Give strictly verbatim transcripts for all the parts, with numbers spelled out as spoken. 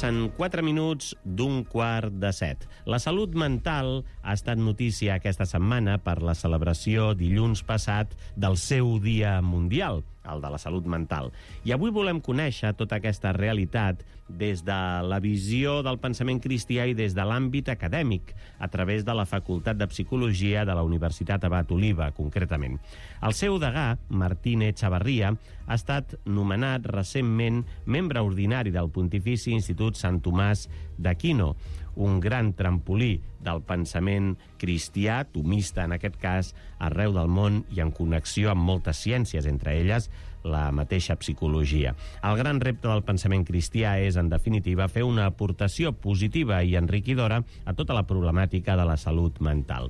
Passen quatre minuts d'un quart de set. La salut mental ha estat notícia aquesta setmana per la celebració dilluns passat del seu Dia Mundial, el de la salut mental. I avui volem conèixer tota aquesta realitat des de la visió del pensament cristià i des de l'àmbit acadèmic, a través de la Facultat de Psicologia de la Universitat Abat Oliba, concretament. El seu degà, Martín Echavarría, ha estat nomenat recentment membre ordinari del Pontifici Institut Sant Tomàs d'Aquino, un gran trampolí del pensament cristià, tomista en aquest cas, arreu del món i en connexió amb moltes ciències, entre elles la mateixa psicologia. El gran repte del pensament cristià és, en definitiva, fer una aportació positiva i enriquidora a tota la problemàtica de la salut mental.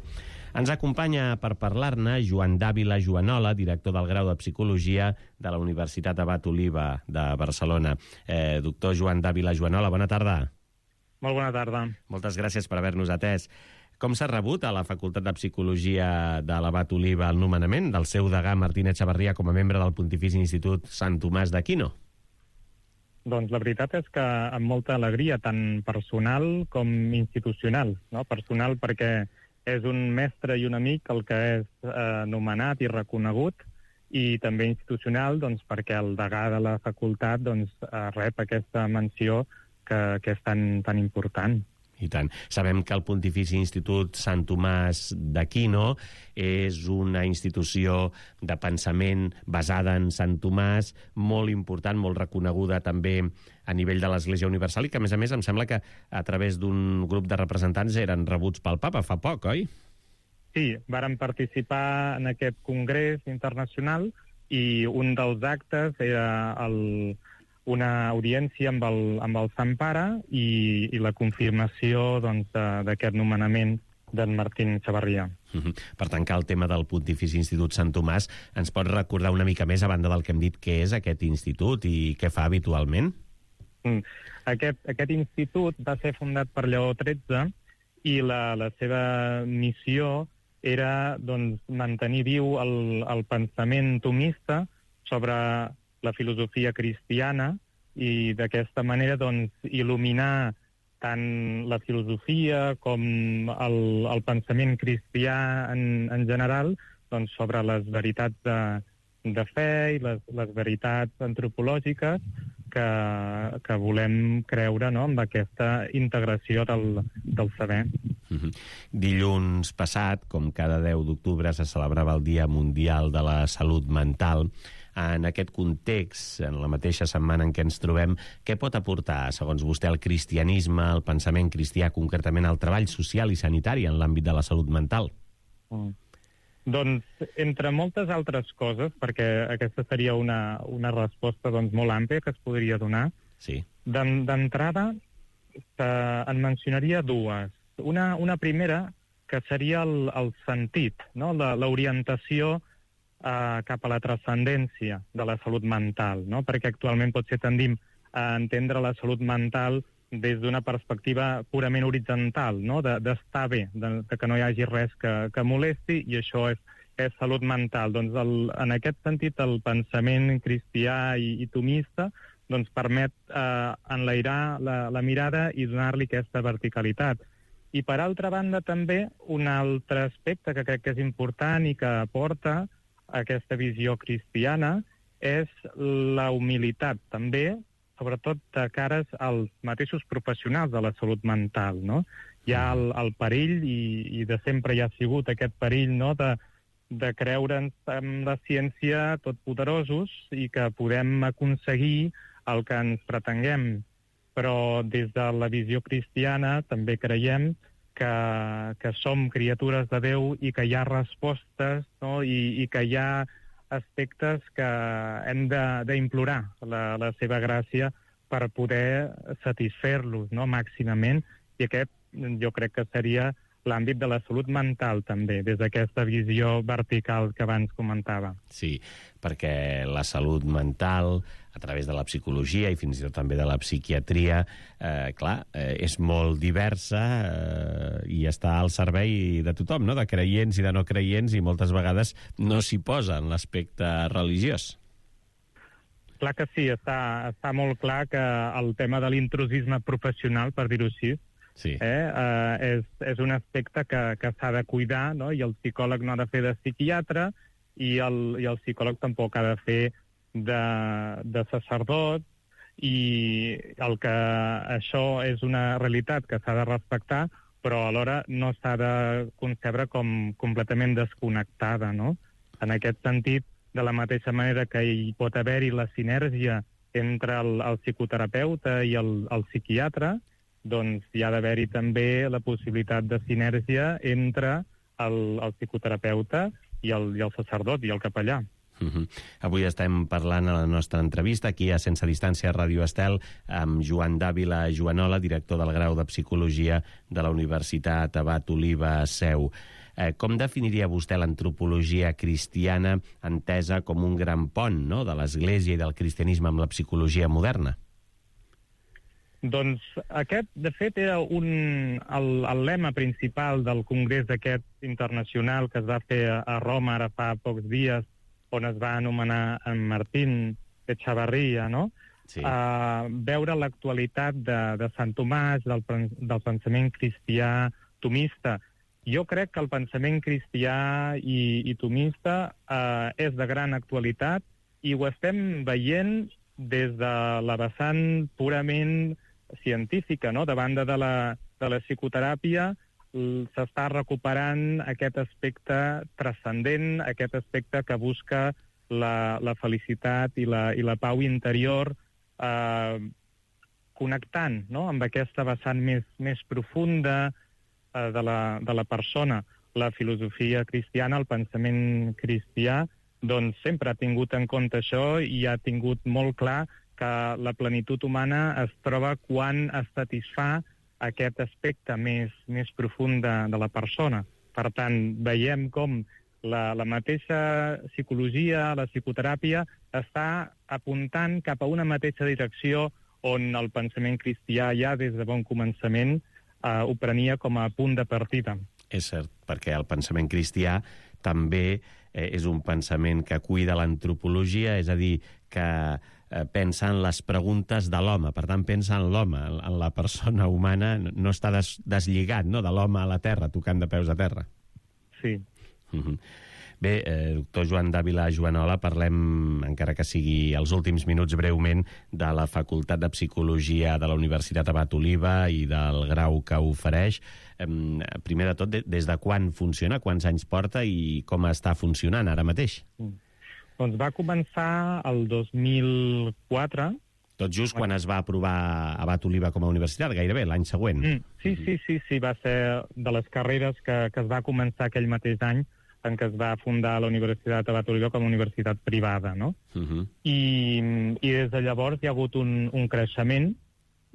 Ens acompanya per parlar-ne Joan Dávila Joanola, director del grau de Psicologia de la Universitat Abat Oliba de Barcelona. Eh, doctor Joan Dávila Joanola, bona tarda. Molt bona tarda. Moltes gràcies per haver-nos atès. Com s'ha rebut a la Facultat de Psicologia de l'Abat Oliba el nomenament del seu degà Martín Echavarría com a membre del Pontifici Institut Sant Tomàs d'Aquino? Doncs la veritat és que amb molta alegria, tant personal com institucional. No? Personal perquè és un mestre i un amic el que és eh, nomenat i reconegut, i també institucional doncs, perquè el degà de la facultat doncs, eh, rep aquesta menció que, que és tan, tan important. I tant. Sabem que el Pontifici Institut Sant Tomàs d'Aquino és una institució de pensament basada en Sant Tomàs, molt important, molt reconeguda també a nivell de l'Església Universal, i que, a més a més, em sembla que a través d'un grup de representants eren rebuts pel papa fa poc, oi? Sí, vàrem participar en aquest congrés internacional i un dels actes era el... una audiència amb el, amb el Sant Pare i, i la confirmació doncs, d'aquest nomenament d'en Martín Echavarría. Uh-huh. Per tancar el tema del Pontifici Institut Sant Tomàs, ens pots recordar una mica més, a banda del que hem dit, què és aquest institut i què fa habitualment? Mm. Aquest, aquest institut va ser fundat per Lleó tretze i la, la seva missió era doncs, mantenir viu el, el pensament tomista sobre la filosofia cristiana i d'aquesta manera doncs, il·luminar tant la filosofia com el, el pensament cristià en, en general doncs, sobre les veritats de, de fe i les, les veritats antropològiques que, que volem creure, no?, amb aquesta integració del, del saber. Uh-huh. Dilluns passat, com cada deu d'octubre, se celebrava el Dia Mundial de la Salut Mental. En aquest context, en la mateixa setmana en què ens trobem, què pot aportar, segons vostè, el cristianisme, el pensament cristià, concretament el treball social i sanitari en l'àmbit de la salut mental? Mm. Doncs, entre moltes altres coses, perquè aquesta seria una, una resposta doncs, molt àmplia que es podria donar, sí. D'entrada en mencionaria dues. Una, una primera, que seria el, el sentit, no? L'orientació Uh, cap a la transcendència de la salut mental, no? Perquè actualment potser tendim a entendre la salut mental des d'una perspectiva purament horitzontal, no? D'estar bé, de, de que no hi hagi res que, que molesti, i això és, és salut mental. Doncs el, en aquest sentit el pensament cristià i, i tomista doncs permet uh, enlairar la, la mirada i donar-li aquesta verticalitat. I per altra banda també un altre aspecte que crec que és important i que aporta aquesta visió cristiana és la humilitat, també, sobretot de cares als mateixos professionals de la salut mental, no? Hi ha el, el perill, i, i de sempre hi ha sigut aquest perill, no?, de, de creure'ns en la ciència totpoderosos i que podem aconseguir el que ens pretenguem. Però des de la visió cristiana també creiem Que, que som criatures de Déu i que hi ha respostes, no? I, i que hi ha aspectes que hem d'implorar la, la seva gràcia per poder satisfer-los, no?, màximament, i aquest jo crec que seria l'àmbit de la salut mental també, des d'aquesta visió vertical que abans comentava. Sí, perquè la salut mental, a través de la psicologia i fins i tot també de la psiquiatria, eh, clar, eh, és molt diversa eh, i està al servei de tothom, no?, de creients i de no creients, i moltes vegades no s'hi posa en l'aspecte religiós. clar que sí, està, està molt clar que el tema de l'intrusisme professional, per dir-ho així, sí. eh, eh, és, és un aspecte que, que s'ha de cuidar, no? I el psicòleg no ha de fer de psiquiatre i el, i el psicòleg tampoc ha de fer de, de sacerdot, i el que això és una realitat que s'ha de respectar, però alhora no s'ha de concebre com completament desconnectada, no? En aquest sentit, de la mateixa manera que hi pot haver-hi la sinergia entre el, el psicoterapeuta i el, el psiquiatre, doncs hi ha d'haver-hi també la possibilitat de sinergia entre el, el psicoterapeuta i el, i el sacerdot i el capellà. Uh-huh. Avui estem parlant a la nostra entrevista aquí a Sense Distància Ràdio Estel amb Joan Dávila Joanola, director del grau de Psicologia de la Universitat Abat Oliba Seu. Eh, com definiria vostè l'antropologia cristiana entesa com un gran pont, no?, de l'Església i del cristianisme amb la psicologia moderna? Doncs aquest, de fet, era un, el, el lema principal del congrés aquest internacional que es va fer a Roma ara fa pocs dies, on es va anomenar en Martín Echavarria, no? Sí. Uh, veure l'actualitat de, de Sant Tomàs, del, del pensament cristià tomista. Jo crec que el pensament cristià i, i tomista uh, és de gran actualitat i ho estem veient des de la vessant purament científica, no? De banda de la, de la psicoteràpia, s'està recuperant aquest aspecte transcendent, aquest aspecte que busca la, la felicitat i la, i la pau interior, eh, connectant, no?, amb aquesta vessant més, més profunda eh, de, la, de la persona. La filosofia cristiana, el pensament cristià, doncs sempre ha tingut en compte això i ha tingut molt clar que la plenitud humana es troba quan es satisfà aquest aspecte més, més profund de, de la persona. Per tant, veiem com la, la mateixa psicologia, la psicoteràpia, està apuntant cap a una mateixa direcció on el pensament cristià ja des de bon començament eh, ho prenia com a punt de partida. És cert, perquè el pensament cristià també eh, és un pensament que cuida l'antropologia, és a dir, que eh, pensa en les preguntes de l'home, per tant pensa en l'home, en la persona humana, no està des, deslligat, no?, de l'home a la terra, tocant de peus a terra. Sí. Uh-huh. Bé, eh, doctor Joan Dávila Joanola, parlem, encara que sigui els últims minuts breument, de la Facultat de Psicologia de la Universitat Abat Oliba i del grau que ofereix. Eh, primer de tot, de, des de quan funciona, quants anys porta i com està funcionant ara mateix? Mm. Doncs va començar el dos mil quatre. Tot just quan es va aprovar Abat Oliba com a universitat, gairebé, l'any següent. Mm, sí, sí, sí, sí, va ser de les carreres que, que es va començar aquell mateix any en què es va fundar la Universitat Abat Oliba com a universitat privada, no? Uh-huh. I, I des de llavors hi ha hagut un, un creixement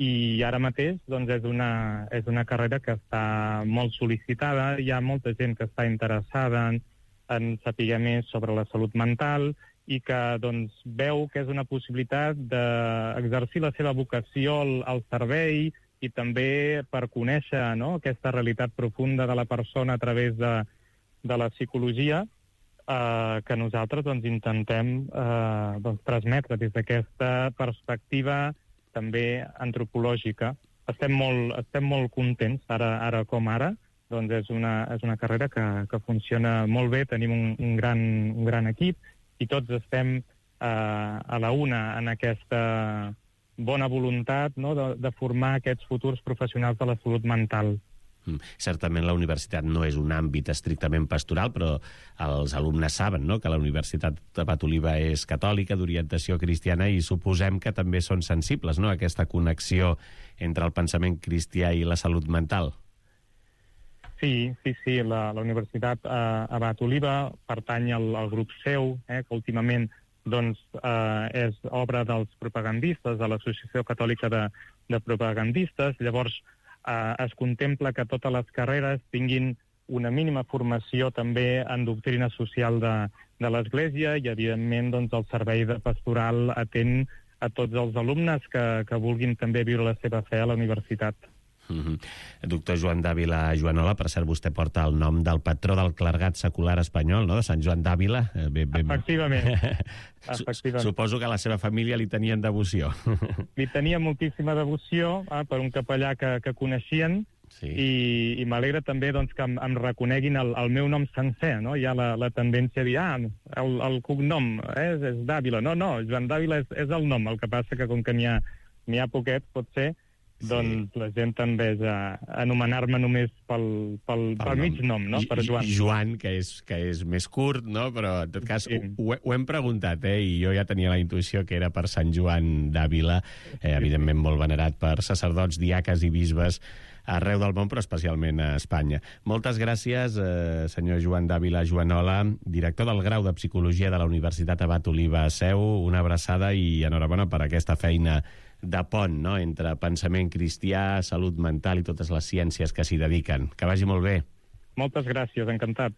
i ara mateix doncs, és, una, és una carrera que està molt sol·licitada, hi ha molta gent que està interessada en, en saber més sobre la salut mental i que doncs, veu que és una possibilitat d'exercir la seva vocació al, al servei i també per conèixer, no?, aquesta realitat profunda de la persona a través de, de la psicologia eh, que nosaltres doncs, intentem eh, doncs, transmetre des d'aquesta perspectiva també antropològica. Estem molt, estem molt contents, ara, ara com ara, doncs és una, és una carrera que, que funciona molt bé, tenim un, un, gran, un gran equip i tots estem eh, a la una en aquesta bona voluntat, no?, de, de formar aquests futurs professionals de la salut mental. Mm. Certament la universitat no és un àmbit estrictament pastoral, però els alumnes saben, no?, que la Universitat Abat Oliba és catòlica, d'orientació cristiana, i suposem que també són sensibles, no?, a aquesta connexió entre el pensament cristià i la salut mental. Sí, sí, sí. La, la Universitat eh, Abat Oliba pertany al, al grup seu, eh, que últimament doncs, eh, és obra dels propagandistes, de l'Associació Catòlica de, de Propagandistes. Llavors, eh, es contempla que totes les carreres tinguin una mínima formació també en doctrina social de, de l'Església i, evidentment, doncs, el servei de pastoral atén a tots els alumnes que, que vulguin també viure la seva fe a la universitat. Mm-hmm. Doctor Joan Dàvila Joanola, per cert, vostè porta el nom del patró del clergat secular espanyol, no?, de Sant Joan d'Àvila. Ben, ben... Efectivament. Efectivament. Suposo que a la seva família li tenien devoció. Li tenia moltíssima devoció eh, per un capellà que, que coneixien, sí. i, i m'alegra també doncs, que em, em reconeguin el, el meu nom sencer, no? Hi ha la, la tendència a dir, ah, el, el cognom eh, és, és Dàvila. No, no, Joan Dàvila és, és el nom, el que passa que com que n'hi ha, n'hi ha poquet, pot ser, doncs sí. La gent tendeix a anomenar-me només pel, pel, pel, pel mig nom, no? Per Joan. Joan, que és, que és més curt, no? Però, en tot cas, sí. ho, ho hem preguntat, eh? I jo ja tenia la intuïció que era per Sant Joan d'Àvila, eh, evidentment molt venerat per sacerdots, diaques i bisbes arreu del món, però especialment a Espanya. Moltes gràcies, eh, senyor Joan Dàvila Joanola, director del grau de Psicologia de la Universitat Abat Oliba a Seu. Una abraçada i enhorabona per aquesta feina de pont, no?, entre pensament cristià, salut mental i totes les ciències que s'hi dediquen. Que vagi molt bé. Moltes gràcies, encantat.